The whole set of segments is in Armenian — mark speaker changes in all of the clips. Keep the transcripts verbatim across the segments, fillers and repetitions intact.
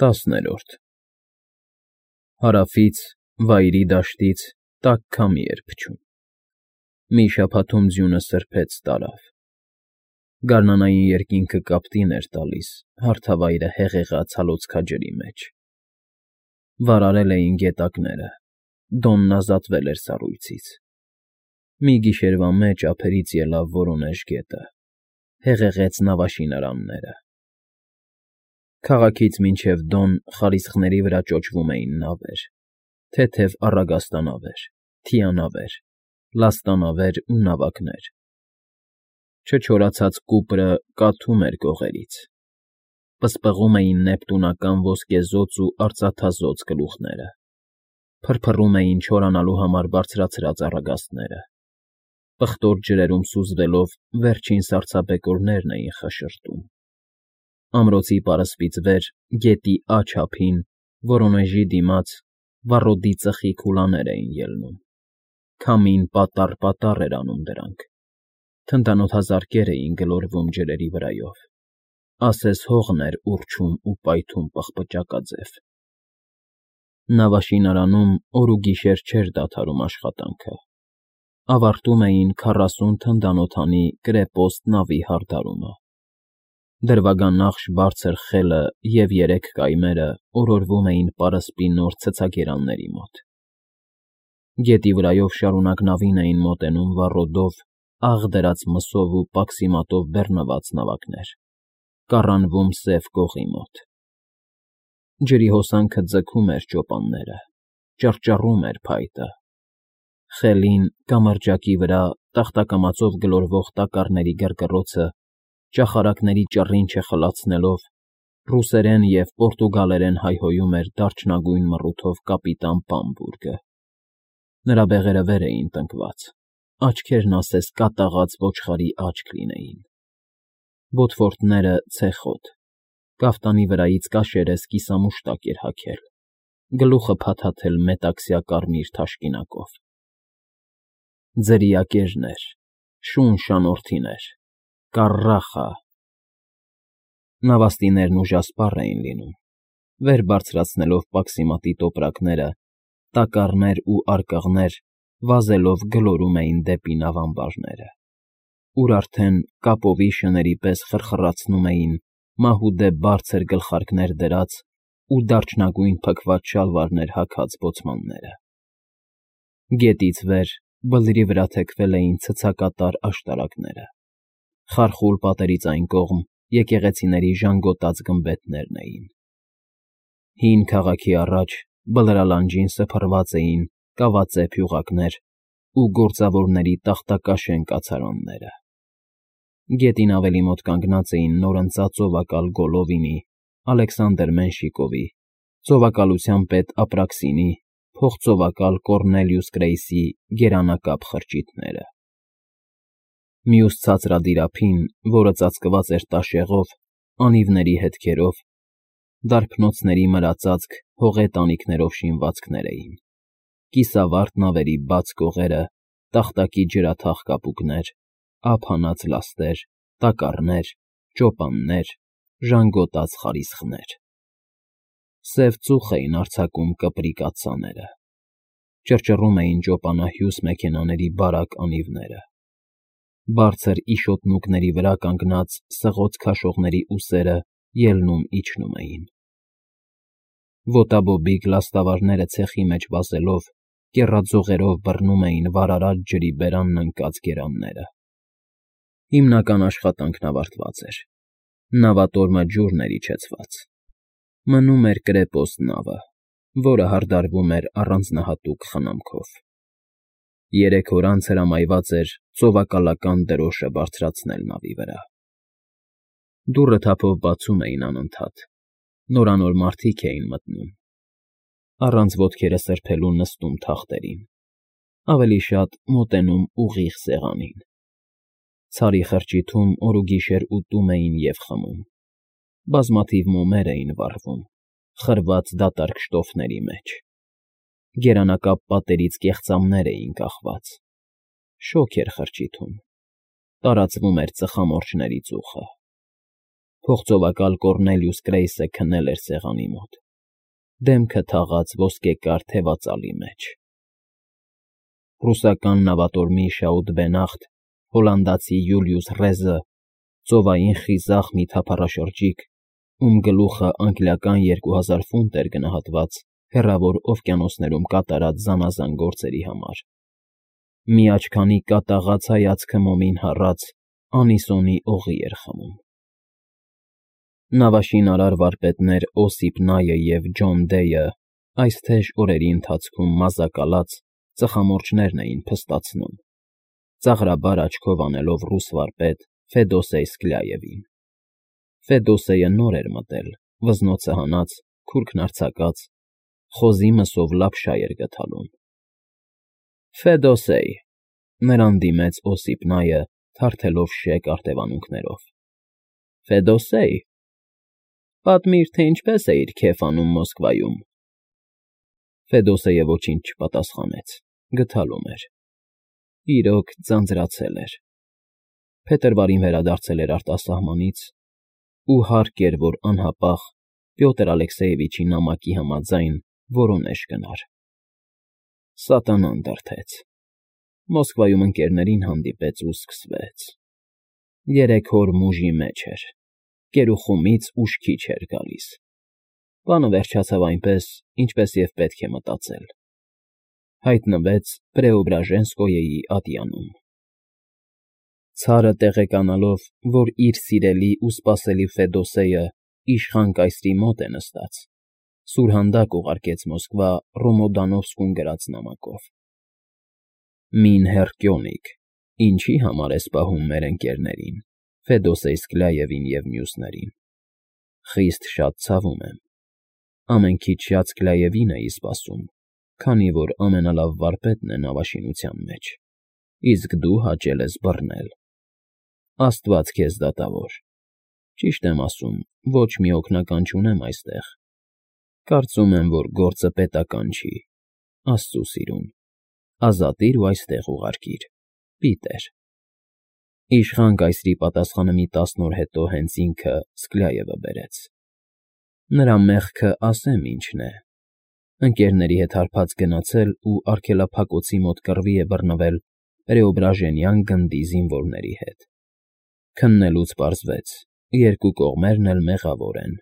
Speaker 1: ՏԱՍՆԵՐՈՐԴ Հարավից, վայրի դաշտից տաք քամի էր փչում, մի շաբաթում ձյունը սրբեց տարավ, գարնանային երկինքը կապտին էր տալիս հարթավայրը հեղեղած հալոցքաջրի մեջ, վարարել էին գետակները, Դոնն ազատվել էր սառույցից, մի գիշերվա մեջ ափերից ելավ Վորոնեժ գետը, հեղեղեց նավաշինարանները, քաղաքից մինչև Դոն խարիսխների վրա ճոճվում էին նավեր, թեթև առագաստանավեր, թիանավեր, լաստանավեր ու նավակներ, չչորացած կուպրը կաթում էր կողերից, պսպղում էին նեպտունական ոսկեզօծ ու արծաթազօծ գլուխները, փրփռում էին չորանալու համար բարձրացրած առագաստները, պղտոր ջրերում սուզվելով վերջին սառցաբեկորներն էին խշշրտում, ամրոցի պարսպից վեր, գետի աջ ափին, Վորոնեժի դիմաց, վառոդի ծխի քուլաներ էին ելնում, քամին պատառ֊պատառ էր անում դրանք, թնդանոթազարկեր էին գլորվում ջրերի վրայով, ասես հողն էր ուռչում ու պայթում պղպջակաձև, նավաշինարանում օր ու գիշեր չէր դադարում աշխատանքը, ավարտում էին քառասուն թնդանոթանի կրեպոստ նավի հարդարումը, դրվագանախշ բարձր խելը և երեք կայմերը օրորվում էին պարսպի նոր ցցագերանների մոտ, գետի վրայով շարունակ նավին էին մոտենում վառոդով, աղ դրած մսով ու պաքսիմատով բեռնված նավակներ, կառանվում Սև կողի մոտ, ջրի հոսանքը ձգում էր ճոպանները, ճռճռում էր փայտը, խելին, կամրջակի վրա տախտակամածով գլորվող տակառների գռգռոցը, ճախարակների ճռինչը խլացնելով, ռուսերեն և պորտուգալերեն հայհոյում էր դարչնագույն մռութով կապիտան Բամբուրգը, նրա բեղերը վեր էին տնկված, աչքերն ասես կատաղած ոչխարի աչք լինեին, ոտվորդները՝ ցեխոտ, կաֆտանի վրայից կաշերես կիսամուշտակ էր հագել, գլուխը փաթաթել մետաքսյա կարմիր թաշկինակով, ձրիակերներ, շուն շանոթիներ, կառախա, նավաստիներն ուժասպառ էին լինում, վեր բարձրացնելով պաքսիմատի տոպրակները, տակառներ ու արկղներ վազելով գլորում էին դեպի նավամբարները, ուր արդեն կապովի շների պես խրխռացնում էին մահուդե բարձր գլխարկներ դրած ու դարչնագույն փքված շալվարներ հագած բոցմանները, գետից վեր բլրի վրա թեքվել էին ցցակատար աշտարակները, խարխուլ պատերից այն կողմ եկեղեցիների ժանգոտած գմբեթներն էին, հին քաղաքի առաջ բլրալանջին սփռված էին կավածե փյուղակներ ու գործավորների տախտակաշեն կացարանները, գետին ավելի մոտ կանգնած էին նորընծած ծովակալ Գոլովինի, Ալեքսանդր Մենշիկովի, ծովակալության պետ Ապրաքսինի, փոխծովակալ Կոռնելիուս Գրեյսի գերանակապ խրճիթները, մյուս ցածրադիր ափին, որը ծածկված էր տաշեղով, անիվների հետքերով, դարբնոցների մրածածկ հողե տանիքներով շինվածքներ էին, կիսավարտ նավերի բաց կողերը, տախտակի ջրաթաղ կապուկներ, ափ հանած լաստեր, տակառներ, ճոպաններ, ժանգոտած խարիսխներ, սև ծուխ էին արձակում կպրիկ աթսաները, ճռճռում էին ճոպանահյուս մեքենաների բարակ անիվները, բարձր իշոտնուկների վրա կանգնած սղոց քաշողների ուսերը ելնում֊իջնում էին, ոտաբոբիկ լաստավարները ցեխի մեջ վազելով, կեռաձողերով բռնում էին վարարած ջրի բերանն ընկած գերանները, հիմնական աշխատանքն ավարտված էր, նավատորմը ջուրն էր իջեցված, մնում էր կրեպոստ նավը, որը հարդարվում էր առանձնահատուկ խնամքով, երեք օր անց հրամայված էր ծովակալական դրոշը բարձրացնել նավի վրա, դուռը թափով բացում էին անընդհատ, նորանոր մարդիկ էին մտնում, առանց ոտքերը սրբելու նստում թախտերին, ավելի շատ մոտենում ուղիղ սեղանին, ցարի խրճիթում օր ու գիշեր ուտում էին և խմում, բազմաթիվ մոմեր էին վառվում, խրված դատարկ շտոֆների մեջ, գերանակապ պատերից կեղծամներ էին կախված, շոգ էր խրճիթում, տարածվում էր ծխամորճների ծուխը, Փողծովակալ Կոռնելիուս Գրեյսը քնել էր սեղանի մոտ, դեմքը թաղած ոսկեկար թևածալի մեջ։ Ռուսական նավատորմի Շաուտ֊Բենախտ, հոլանդացի Յուլիուս Ռեզը, ծովային խիզախ մի թափառաշրջիկ, ում գլուխը անգլիական երկու հազար ֆունտ էր գնահատված հեռավոր օվկիանոսներում կատարած զանազան գործերի համար, մի աչքանի կատաղած հայացքը մոմին հառած, անիսոնի օղի էր խմում։ Նավաշինարար վարպետներ Օսիպ Նայը և Ջոն Դեյը այս թեժ օրերի ընթացքում մազակալած ծխամորճներն էին փստացնում, ծաղրաբար աչքով անելով ռուս վարպետ Ֆեդոսեյ Սկլյաևին։ Ֆեդոսեյը նոր էր մտել, վզնոցը հանած, քուրքն արձակած, խոզի մսով լապշա էր գթալում։ Ֆեդոսեյ, նրան դիմեց Օսիպ Նայը, թարթելով շեք արտևանունքներով։ Ֆեդոսեյ, պատմիր, թե ինչպես էիր քեֆ անում Մոսկվայում։ Ֆեդոսեյը ոչինչ չպատասխանեց, գթալում էր։ Իրոք ձանձրացել էր։ Փետրվարին վերադարձել էր արտասահմանից, ու հարկ էր, որ անհապաղ Պյոտր Ալեքսեյևիչի նամակի համաձայն Վորոնեժ գնար։ Սատանան դրդեց։ Մոսկվայում ընկերներին հանդիպեց ու սկսվեց։ Երեք օր մուժի մեջ էր, կերուխումից ուշքի չէր գալիս։ Բանը վերջացավ այնպես, ինչպես և պետք է մտածել։ Հայտնվեց Պրեոբրաժենսկոյեի ատյանում։ Ցարը տեղեկանալով, որ իր սիրելի ու սպասելի Ֆեդոսեյը իշխան կայսրի մոտ է նստած, սուրհանդակ ուղարկեց Մոսկվա Ռոմոդանովսկուն գրած նամակով. Մին հեռկյոնիկ, ինչի համար ես պահում մեր ընկերներին, Ֆեդոսեյ Սկլյաևին և մյուսներին։ Խիստ շատ ցավում եմ։ Ամենքից շատ Սկլյաևին էի սպասում, քանի որ ամենալավ վարպետն է նավաշինության մեջ, իսկ դու հաճել ես բռնել։ Աստված քեզ դատավոր։ Ճիշտ եմ ասում, ոչ մի օգնական չունեմ այստեղ։ Կարծում եմ, որ գործը պետական չի, Աստծու սիրուն։ Ազատիր ու այստեղ ուղարկիր, Պիտեր։ Իշխան կայսրի պատասխանը մի տասն օր հետո հենց ինքը Սկլյաևը բերեց։ Նրա մեղքը ասեմ ինչն է։ Ընկերների հետ հարբած գնացել ու արգելափակոցի մոտ կռվի է բռնվել Պրեոբրաժենյան գնդի զինվորների հետ։ Քննելուց պարզվեց, երկու կողմերն էլ մեղավոր են։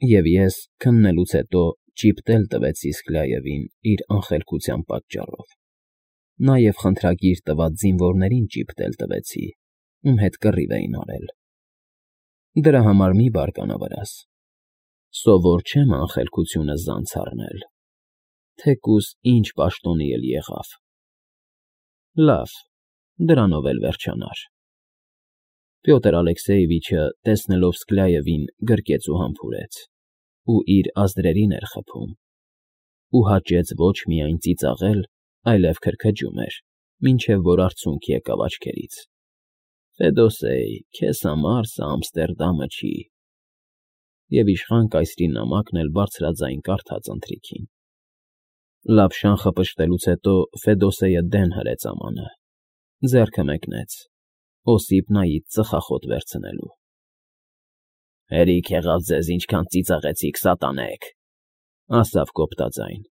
Speaker 1: Եվ ես քննելուց հետո ճիպտ էլ տվեցի Սկլյաևին իր անխելքության պատճառով։ Նաև խնդրագիր տված զինվորներին ճիպտ էլ տվեցի, ում հետ կռիվ էին արել։ Դրա համար մի բարկանա վրաս։ Սովոր չեմ անխելքությունը զանց առնել, թեկուզ ինչ պաշտոնի էլ եղավ։ Լավ, դրանով էլ վերջանար։ Պյոտր Ալեքսեյևիչը, տեսնելով Սկլյաևին, գրկեց ու համբուրեց, ու իր ազդրերին էր խփում, ու հաճեց ոչ միայն ծիծաղել, այլև քրքջում էր, մինչև որ արցունք եկավ աչքերից։ Ֆեդոսեյ, քեզ համար սա Ամստերդամը չի։ Եվ իշխան կայսրի նամակն էլ բարձրաձայն կարդաց ընթրիքին։ Լապշան խպշտելուց հետո Ֆեդոսեյը դեն հրեց ամանը, ձեռքը մեկնեց, Օսիպ Նայից ծխախոտ վերցնելու։ Հերիք եղավ ձեզ, ինչքան ծիծաղեցիք, սատանեք, ասավ կոպտաձայն։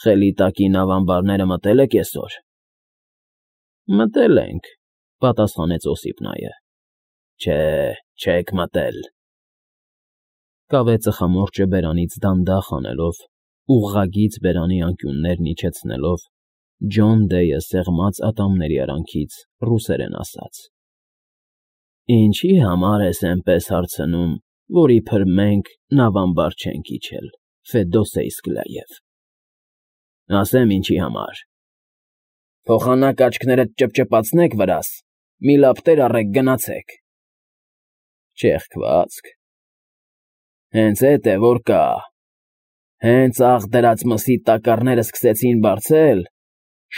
Speaker 1: Խելի տակի նավամբարները մտել եք այսօր։ Մտել ենք, պատասխանեց Օսիպ Նայը։ Չէ, չեք մտել։ Կավե ծխամորճը բերանից դանդաղ անելով, ուղղագիծ բերանի անկյուններն իջեցնելով, Ջոն Դեյը սեղմած ատամների արանքից ռուսերեն ասաց. Ինչի համար ես էնպես հարցնում, որ իբր մենք նավամբար չենք իջել, Ֆեդոսեյ Սկլյաև։ Ասեմ ինչի համար։ Փոխանակ աչքներդ ճպճպացնեք վրաս, մի լապտեր առեք գնացեք։ Չեղքվածք։ Հենց էդ է, որ կա։ Հենց աղ դրած մսի տակառները սկսեցին բարձել,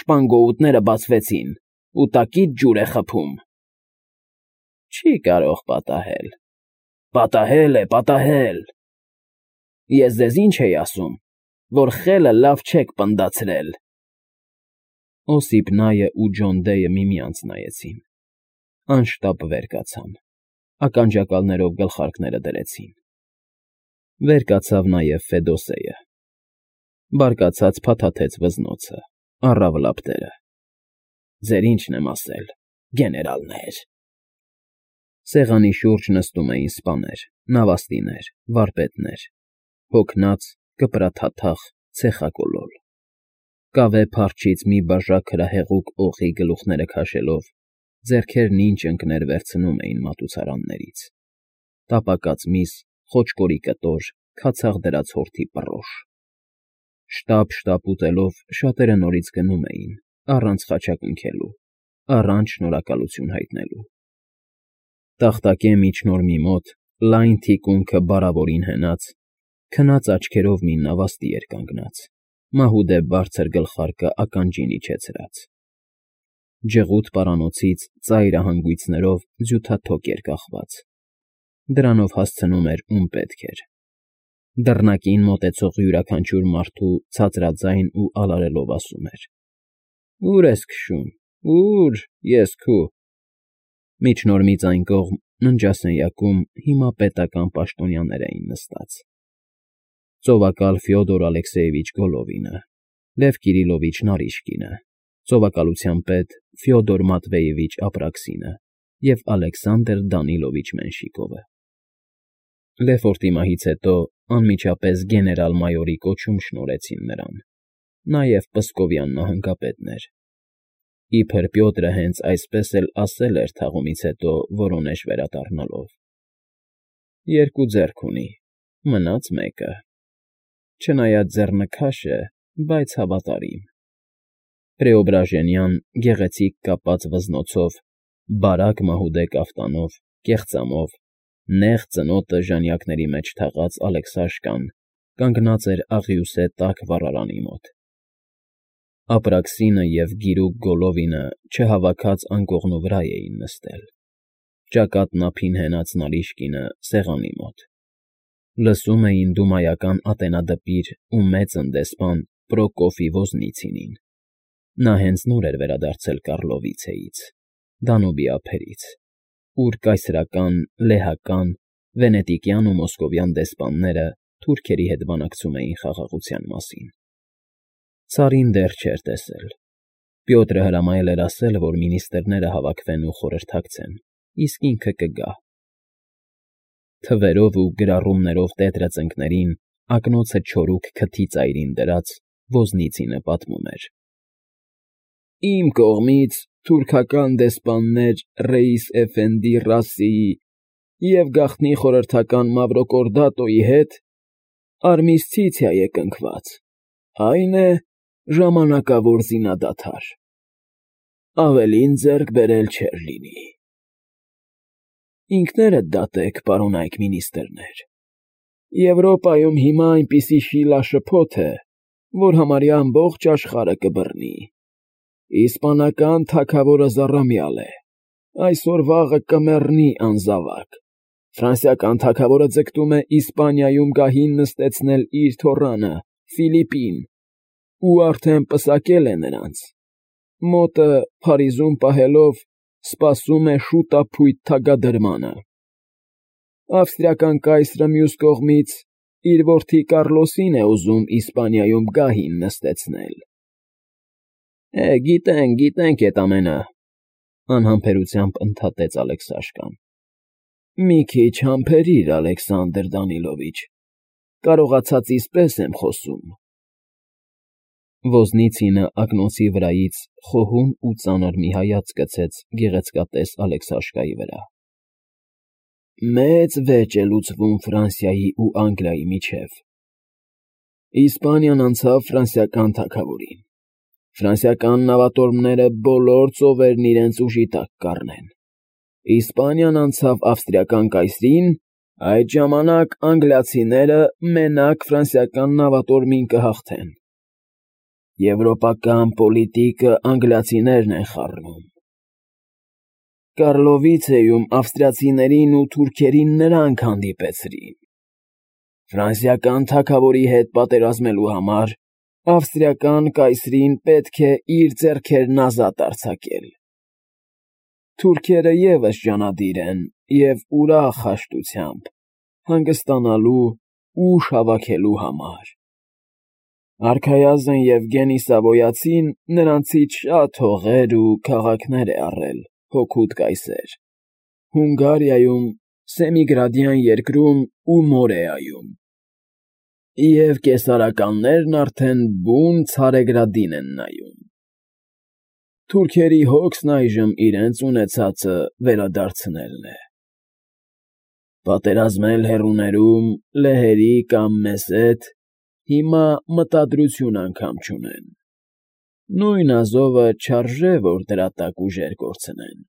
Speaker 1: շպանգոուտները բացվեցին, ու տակից ջուր է խփում։ Չի կարող պատահել։ Պատահել է, պատահել։ Ես ձեզ ինչ էի ասում, որ խելը լավ չեք պնդացրել։ Օսիպ Նայը ու Ջոն Դեյը միմյանց նայեցին։ Անշտապ վեր կացան։ ականջակալներով գլխարկները դրեցին։ Վեր կացավ նաև Ֆեդոսեյը։ Բարկացած փաթաթեց վզնոցը, առավ լապտերը։ Ձեր ինչն եմ ասել, գեներալներ։ Սեղանի շուրջ նստում էին սպաներ, նավաստիներ, վարպետներ, հոգնած, կպրաթաթախ, ցեխակոլոլ։ Կավե փարչից մի բաժակ հրահեղուկ օղի գլուխները քաշելով, ձեռքերն ինչ ընկներ վերցնում էին մատուցարաններից. տապակած միս, խոճկորի կտոր, քացաղ դրած հորթի պռոշ։ Շտապ-շտապ ուտելով շատերը նորից գնում էին, առանց խաչակնքելու, առանց շնորհակալություն հայտնելու։ Տախտակե միջնորմի մոտ, լայն թիկունքը բարավորին հենած, քնած աչքերով մի նավաստի էր կանգնած, մահուդե բարձր գլխարկը ականջին իջեցրած։ Ջղութ պարանոցից ծայրը հանգույցներով ձյութաթոկ էր կախված։ Դրանով հասցնում էր ում պետք էր։ Դռնակին մոտեցող յուրաքանչյուր մարդու ցածրաձայն ու ալարելով ասում էր. «Ո՞ւր ես քշում, ո՞ւր, ես քու»։ Միջնորմից այն կողմ ննջասենյակում հիմա պետական պաշտոնյաներ էին նստած. ծովակալ Ֆյոդոր Ալեքսեևիչ Գոլովինը, Լև Կիրիլովիչ Նարիշկինը, ծովակալության պետ Ֆյոդոր Մատվեևիչ Ապրաքսինը և Ալեքսանդր Դանիլովիչ Մենշիկովը։ Լեֆորտի մահից հետո անմիջապես գեներալ֊մայորի կոչում շնորհեցին նրան, նաև Պսկովյան նահանգապետն էր։ Իբր Պյոտրը հենց այսպես էլ ասել էր թաղումից հետո Վորոնեժ վերադառնալով. երկու ձեռք ունի, մնաց մեկը, չնայած ձեռնքաշ է, բայց հավատարիմ։ Պրեոբրաժենյան գեղեցիկ կապած վզնոցով, բարակ մահուդե կաֆտանով, կեղծամով, նեղ ծնոտը ժանյակների մեջ թաղած Ալեքսաշկան կանգնած էր աղյուսե տաք վառարանի մոտ։ Ապրաքսինը և գիրուկ Գոլովինը չհավաքած անկողնու վրա էին նստել, ճակատն ափին հենած Նարիշկինը սեղանի մոտ։ Լսում էին դումայական ատենադպիր ու մեծ ընդեսպան Պրոկոֆի Ոզնիցինին։ Նա հենց նոր էր վերադարձել Կառլովիցեից, Դանուբի ափերից, ուր կայսրական, լեհական, վենետիկյան ու մոսկովյան դեսպանները թուրքերի հետ բանակցում էին խաղաղության մասին։ Ցարին դեռ չէր տեսել։ Պյոտրը հրամայել էր ասել, որ մինիստրները հավաքվեն ու խորհրդակցեն, իսկ ինքը կգա։ Թվերով ու գրառումներով տետրը ծնկներին, ակնոցը չորուկ քթի ծայրին դրած, Ոզնիցինը պատմում էր. «Իմ կողմից թուրքական դեսպաններ Ռեիս Էֆենդի Ռասիի և գաղտնի խորհրդական Մավրոկորդատոյի հետ արմիսցիցիա է կնքված, այն է, ժամանակավոր զինադադար։ Ավելին ձեռք բերել չէր լինի։ Ինքներդ դատեք, պարոնայք մինիստրներ, Եվրոպայում հիմա այնպիսի շիլաշփոթ է, որ համարյա ամբողջ աշխարհը կբռնի։ Իսպանական թագավորը զառամյալ է, այսօր֊վաղը կմեռնի անզավակ։ Ֆրանսիական թագավորը ձգտում է Իսպանիայում գահին նստեցնել իր թոռանը, Ֆիլիպին, ու արդեն պսակել է նրանց։ Մոտը Փարիզում պահելով սպասում է շուտափույթ թագադրմանը։ Ավստրիական կայսրը մյուս կողմից իր որդի Կառլոսին է ուզում Իսպանիայում գահին նստեցնել։ Է, գիտենք, գիտենք էդ ամենը, անհամբերությամբ ընդհատեց Ալեքսաշկան։ Մի քիչ համբերիր, Ալեքսանդր Դանիլովիչ, կարողացածիս պես եմ խոսում։ Ոզնիցինը ակնոցի վրայից խոհուն ու ծանր մի հայացք գցեց գեղեցկատես Ալեքսաշկայի վրա։ Մեծ վեճ է լուծվում Ֆրանսիայի ու Անգլիայի միջև։ Իսպանիան անցավ ֆրանսիական թագավորին։ Ֆրանսիական նավատորմները բոլոր ծովերն իրենց ուժի տակ կառնեն։ Իսպանիան անցավ ավստրիական կայսրին, այդ ժամանակ անգլիացիները մենակ ֆրանսիական նավատորմին կհաղթեն։ Եվրոպական պոլիտիկը անգլիացիներն են խառնում։ Կառլովիցեում ավստրիացիներին ու թուրքերին նրանք հանդիպեցրին։ Ֆրանսիական թագավորի հետ պատերազմելու համար ավստրիական կայսրին պետք է իր ձեռքերն ազատ արձակել։ Թուրքերը ևս ջանադիր են և ուրախ հաշտությամբ, հանգստանալու ուժ հավաքելու համար. արքայազն Եվգենի Սավոյացին նրանցից շատ հողեր ու քաղաքներ է առել հօգուտ կայսեր, Հունգարիայում, Սեմիգրադյան երկրում ու Մորեայում, և կեսարականներն արդեն բուն Ցարեգրադին են նայում. թուրքերի հոգսն այժմ իրենց ունեցածը վերադարձնելն է։ Պատերազմել հեռուներում, լեհերի կամ մեզ հետ հիմա մտադրություն անգամ չունեն, նույն Ազովը չարժե, որ դրա տակ ուժեր կորցնեն։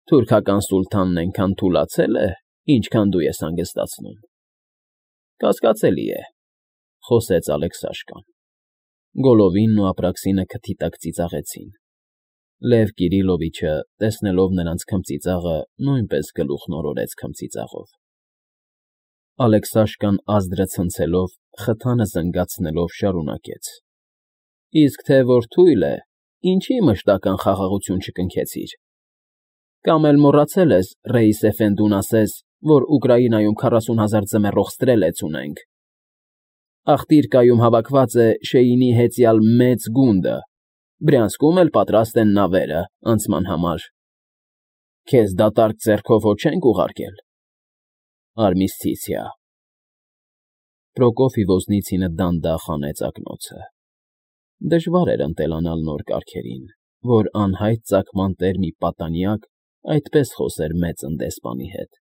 Speaker 1: Թուրքական սուլթանն էնքան թուլացել է, ինչքան դու ես հանգստացնում։ Կասկածելի է, խոսեց Ալեքսաշկան։ Գոլովինն ու Ապրաքսինը քթի տակ ծիծաղեցին։ Լև Կիրիլովիչը, տեսնելով նրանց քմծիծաղը, նույնպես գլուխն օրորեց քմծիծաղով։ Ալեքսաշկան ազդրը ցնցելով, խթանը զնգացնելով շարունակեց. Իսկ թե որ թույլ է, ինչի մշտական խաղաղություն չկնքեցիր։ Կամ էլ մոռացել ես Ռեիս էֆենդուն ասես, որ Ուկրաինայում քառասուն հազար ձմեռող ստրելեց ունենք։ Ախտիրկայում հավաքված է Շեյինի հեծյալ մեծ գունդը, Բրյանսկում էլ պատրաստ են նավերը անցման համար։ Քեզ դատարկ ձեռքով հո չենք ուղարկել։ Արմիսցիցիա։ Պրոկոֆի Ոզնիցինը դանդաղ հանեց ակնոցը։ Դժվար էր ընտելանալ նոր կարգերին, որ անհայտ ծագման տեր մի պատանյակ այդպես խոսեր մեծն դեսպանի հետ։